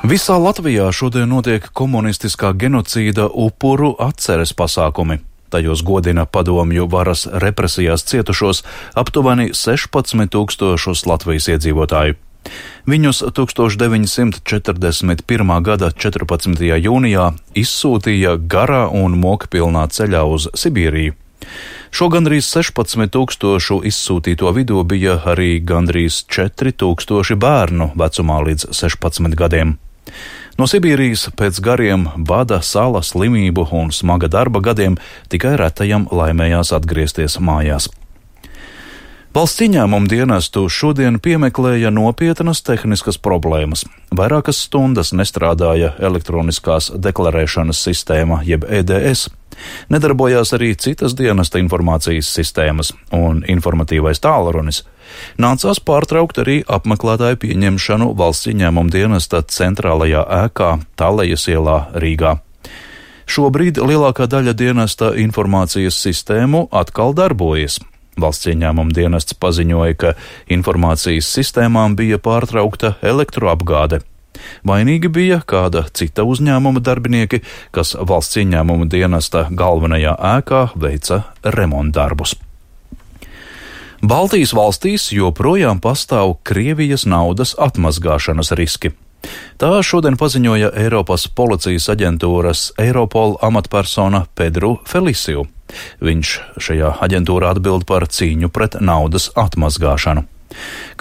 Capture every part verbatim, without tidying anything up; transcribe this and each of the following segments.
Visā Latvijā šodien notiek komunistiskā genocīda upuru atceres pasākumi. Tajos godina padomju varas represijās cietušos aptuveni sešpadsmit tūkstošus Latvijas iedzīvotāju. Viņus deviņdesmit deviņi četrdesmit pirmā gada četrpadsmitajā jūnijā izsūtīja garā un mokpilnā ceļā uz Sibīriju. Šo gandrīz sešpadsmit tūkstošu izsūtīto vidū bija arī gandrīz četri tūkstoši bērnu vecumā līdz sešpadsmit gadiem. No Sibīrijas pēc gariem bada, sala, slimību un smaga darba gadiem tikai retajam laimējās atgriezties mājās. Valsts ieņēmuma dienestu šodien piemeklēja nopietnas tehniskas problēmas. Vairākas stundas nestrādāja elektroniskās deklarēšanas sistēma, jeb E D S. Nedarbojās arī citas dienesta informācijas sistēmas un informatīvais tālrunis. Nācās pārtraukt arī apmeklētāju pieņemšanu valsts ieņēmuma dienesta centrālajā ēkā Talejas ielā Rīgā. Šobrīd lielākā daļa dienesta informācijas sistēmu atkal darbojas. Valsts ieņēmuma dienests paziņoja, ka informācijas sistēmām bija pārtraukta elektroapgāde. Vainīgi bija kāda cita uzņēmuma darbinieki, kas valsts ieņēmuma dienesta galvenajā ēkā veica remontdarbus. Baltijas valstīs joprojām pastāv Krievijas naudas atmazgāšanas riski. Tā šodien paziņoja Eiropas policijas aģentūras Eiropol amatpersona Pedru Felisiju. Viņš šajā aģentūrā atbild par cīņu pret naudas atmazgāšanu.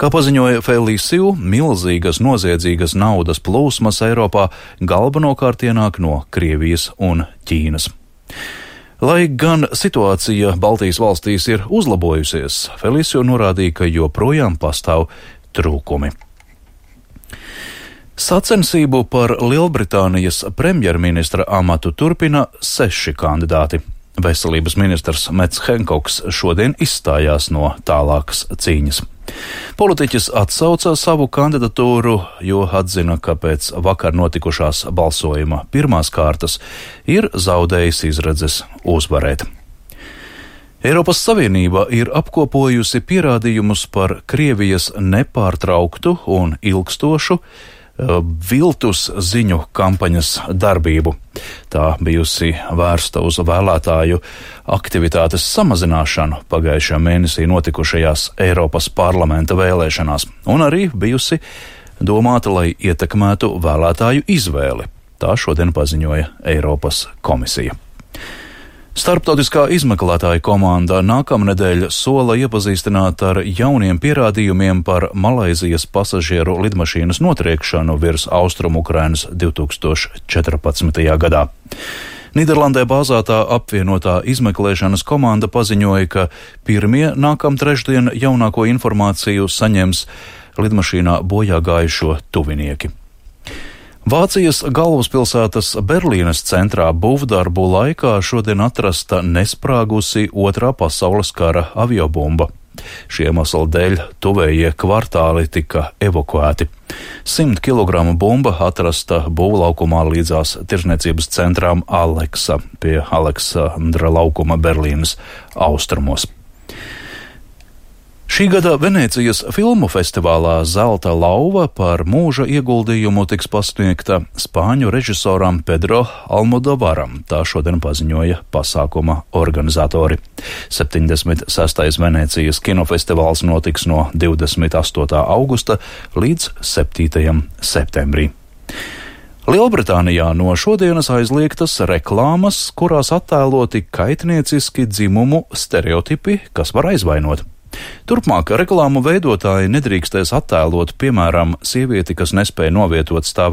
Kā paziņoja Felisiju, milzīgas noziedzīgas naudas plūsmas Eiropā galvenokārt ienāk no Krievijas un Ķīnas. Lai gan situācija Baltijas valstīs ir uzlabojusies, Felisiju norādīja, ka joprojām pastāv trūkumi. Sacensību par Lielbritānijas premjerministra amatu turpina seši kandidāti. Veselības ministrs Mets Henkoks šodien izstājās no tālākas cīņas. Politiķis atsauca savu kandidatūru, jo atzina, ka pēc vakar notikušās balsojuma pirmās kārtas ir zaudējis izredzes uzvarēt. Eiropas Savienība ir apkopojusi pierādījumus par Krievijas nepārtrauktu un ilgstošu viltus ziņu kampaņas darbību. Tā bijusi vērsta uz vēlētāju aktivitātes samazināšanu pagājušajā mēnesī notikušajās Eiropas parlamenta vēlēšanās, un arī bijusi domāta, lai ietekmētu vēlētāju izvēli. Tā šodien paziņoja Eiropas komisija. Starptautiskā izmeklētāja komanda nākamnedēļ sola iepazīstināt ar jauniem pierādījumiem par Malaizijas pasažieru lidmašīnas notriekšanu virs Austrumukrainas divi tūkstoši četrpadsmitajā gadā. Nīderlandē bāzētā apvienotā izmeklēšanas komanda paziņoja, ka pirmie nākam trešdien jaunāko informāciju saņems lidmašīnā bojā gājušo tuvinieki. Vācijas galvaspilsētas Berlīnes centrā būvdarbu laikā šodien atrasta nesprāgusi otrā pasaules kara aviobumba. Šī iemesla dēļ tuvējie kvartāli tika evakuēti. Simt kilogramu bumba atrasta būvlaukumā līdzās tirzniecības centrām Aleksa pie Aleksandra laukuma Berlīnes austrumos. Šī gada Venēcijas filmu festivālā Zelta lauva par mūža ieguldījumu tiks pasniegta spāņu režisoram Pedro Almodovaram, tā šodien paziņoja pasākuma organizatori. septiņdesmit sestais Venēcijas kinofestivāls notiks no divdesmit astotā augusta līdz septītajam septembrī. Lielbritānijā no šodienas aizliegtas reklāmas, kurās attēloti kaitnieciski dzimumu stereotipi, kas var aizvainot. Turpmāk reklāmu veidotāji nedrīkstēs attēlot, piemēram, sievieti, kas nespēja novietot stāvēšanu